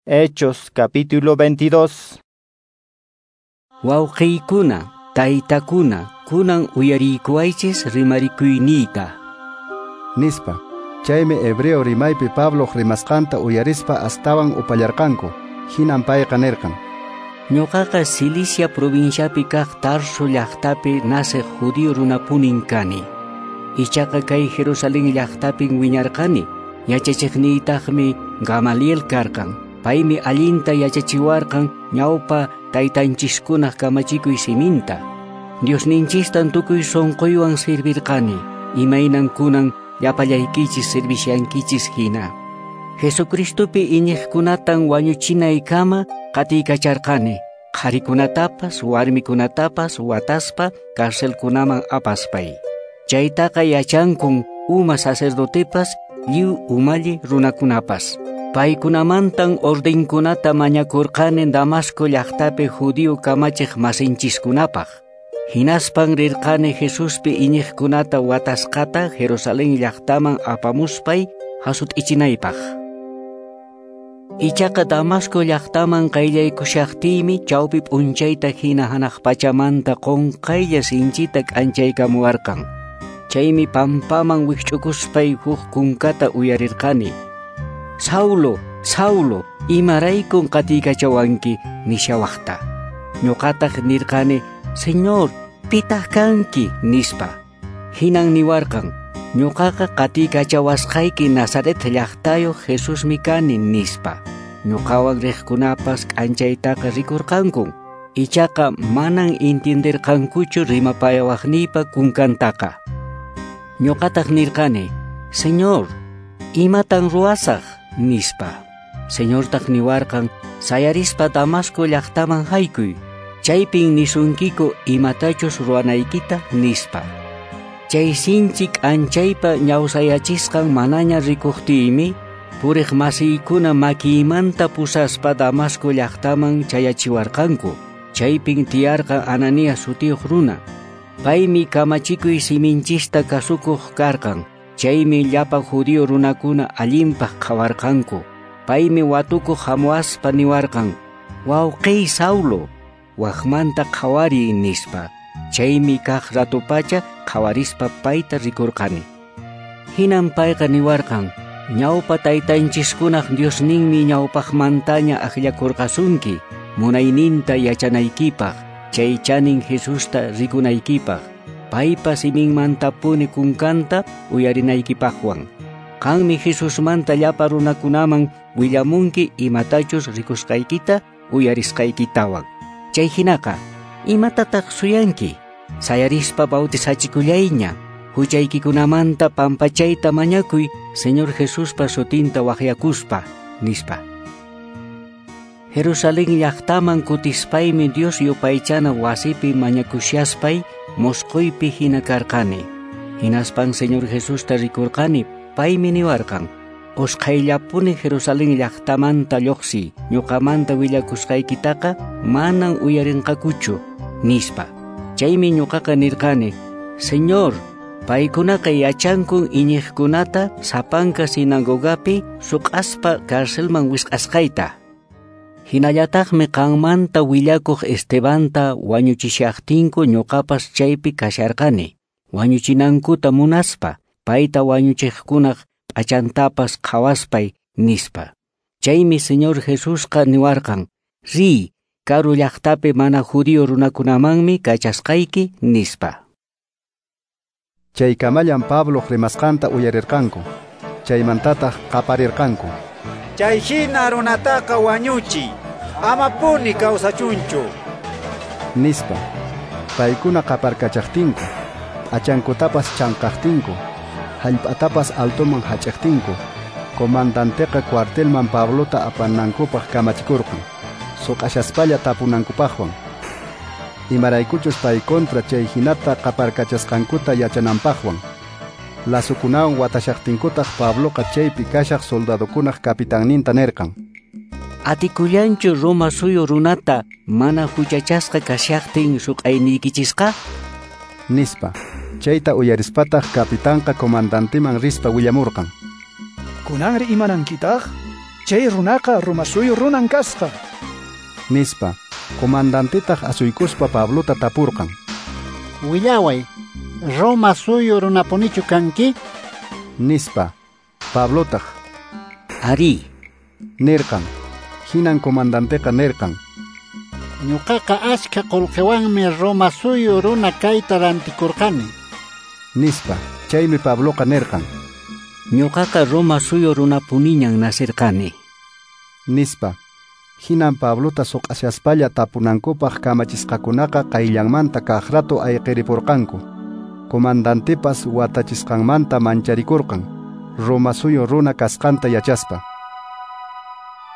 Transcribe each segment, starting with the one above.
Hechos capítulo 22. Wawqiykuna, taytakuna, kunan uyariykuwaychis rimarikuyniyta. Nispa. Chaymi hebreo rimaypi Pablo rimasqanta uyarispa astawan upallarqanku. Hinan payqa nirqan: Ñuqaqa Cilicia provinciapi kaq Tarso llaqtapi naciq judío runapunin kani. Ichaqa kay Jerusalén llaqtapin wiñarqani. Yachachiqniytaqmi Gamaliel karqan. Paymi allinta yachachiwarqan ñawpa taytanchiskunaq kamachikuy siminta. Diosninchistan tukuy sunquywan servirqani, imaynan kunan llapallaykichis servishankichis hina. Jesucristopi iñiqkunatan wañuchinaykama qatiykacharqani, qharikunatapas warmikunatapas wataspa carcelkunaman apaspay. Chaytaqa yachankun uma sacerdotepas lliw umalli runakunapas. Paykunamantan ordenkunata mañakurqani Damasco llaqtapi judío kamachiq masinchiskunapaq. Hinaspan rirqani Jesuspi iñiqkunata watasqata Jerusalén llaqtaman apamuspay hasut'ichinaypaq. Ichaqa Damasco llaqtaman qayllaykushaqtiymi chawpi p'unchayta hina hanaq pachamanta qunqaylla sinchita k'anchaykamuwarqan. Chaymi pampaman wikch'ukuspay huk kunkata uyarirqani: Saulo, Saulo, imaraykun qatiykachawanki nishawaqta. Ñuqataq nirqani: Señor, pitaq kanki, nispa. Hinan niwarqan: ñuqaqa qatiykachawasqayki Nazaret llaqtayuq Jesusmi kani, nispa. Ñuqawan riqkunapas k'anchaytaqa rikurqankun. Ichaqa manan entienderqankuchu rimapayawaqniypa kunkantaqa. Ñuqataq nirqani: Señor, imatan ruwasaq, nispa. Señortaq niwarqan: sayarispa Damasco llaqtaman haykuy. Chaypin nisunkiku imatachus ruwanaykita, nispa. Chay sinchi k'anchaypa ñawsayachisqan manaña rikuqtiymi, puriq masiykuna makiymanta pusaspa Damasco llaqtaman chayachiwarqanku. Chaypin tiyarqan Ananías sutiyuq runa. Paymi kamachikuy siminchista kasukuq karqan. Chaymi llapa judío runakuna allinpaq qhawarqanku. Paymi watukuq hamuaspa niwarqan: wawqiy Saulo, waqmanta qhawariy, nispa. Chaymi kaq ratupacha qhawarispa payta rikurqani. Hinan payqa niwarqan: ñawpa taytanchiskunaq Diosninmi ñawpaqmantaña akllakurqasunki munayninta yachanaykipaq, chay chanin Jesusta rikunaykipaq, paypa siminmantapuni kunkanta uyarinaykipaqwan. Qanmi Jesusmanta llapa runakunaman willamunki imatachus rikusqaykita uyarisqaykitawan. Chay hinaqa, imatataq suyanki? Sayarispa bautizachikullayña, huchaykikunamanta pampachayta mañakuy Señor Jesuspa sutinta waqyakuspa, nispa. Jerusalén llaqtaman kutispaymi Dios yupaychana wasipi mañakushaspay mosquypi hina karqani. Hinaspan Señor Jesusta rikurqani, paymi niwarqan: usqhayllapuni Jerusalén llaqtamanta lluqsiy, ñuqamanta willakusqaykitaqa manan uyarinqakuchu, nispa. Chaymi ñuqaqa nirqani: Señor, paykunaqa yachankun iñiqkunata sapanka sinagogapi suq'aspa carcelman wisq'asqayta. Hinallataqmi qanmanta willakuq Estebanta wañuchishaqtinku ñuqapas chaypi kasharqani, wañuchinankuta munaspa, payta wañuchiqkunaq p'achantapas qhawaspay, nispa. Chaymi Señor Jesusqa niwarqan: riy, karu llaqtapi mana judío runakunamanmi kachasqayki, nispa. Chaykamallan Pablo rimasqanta uyarirqanku. Chaymantataq qaparirqanku: Chay hina runataqa wañuchiy, amapuni kawsachunchu, nispa. Paykuna qaparkachaqtinku, p'achankutapas chanqaqtinku, hallp'atapas altoman hach'aqtinku, comandanteqa cuartelman Pablota apanankupaq kamachikurqan, suq'ashaspalla tapunankupaqwan. Imaraykuchus pay contra chay hinata qaparkachasqankuta yachananpaqwan. Lazukunawan watashaqtinkutaq Pabloqa chaypi kashaq soldadokunaq capitanninta nirqan: Atikullanchu Roma suyu runata mana huchachasqa kashaqtin suq'ayniykichisqa, nispa. Chayta uyarispataq capitanqa comandanteman rispa willamurqan: Kunanri imanankitaq? Chay runaqa Roma suyu runan kasqa, nispa. Comandantetaq asuykuspa Pablota tapurqan. Willaway, Roma suyu runapunichu kanki? Nispa. Pablotaq, Arí, nirqan. Hinan comandanteqa nirqan. Ñuqaqa achka qullqiwanmi Roma suyu runa kayta rantikurqani. Nispa. Chaymi Pabloqa nirqan. Ñuqaqa Roma suyu runapuniñan nacirqani. Nispa. Hinan Pablota suq'ashaspalla tapunankupaq kamachisqakunaqa qayllanmanta kaq rato ayqiripurqanku. Comandantepas watachisqanmanta mancharikurqan, Roma suyu runa kasqanta yachaspa.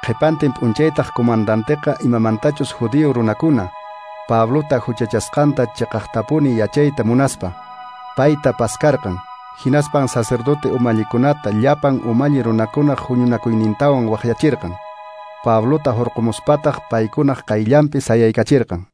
Qhipantin p'unchaytaq comandanteqa imamantachus judío runakuna Pablota huchachasqanta chiqaqtapuni yachayta munaspa, payta paskarqan. Hinaspan sacerdote umallikunata llapan umalli runakunaq huñunakuynintawan waqyachirqan. Pablota hurqumuspataq paykunaq qayllanpi sayaykachirqan.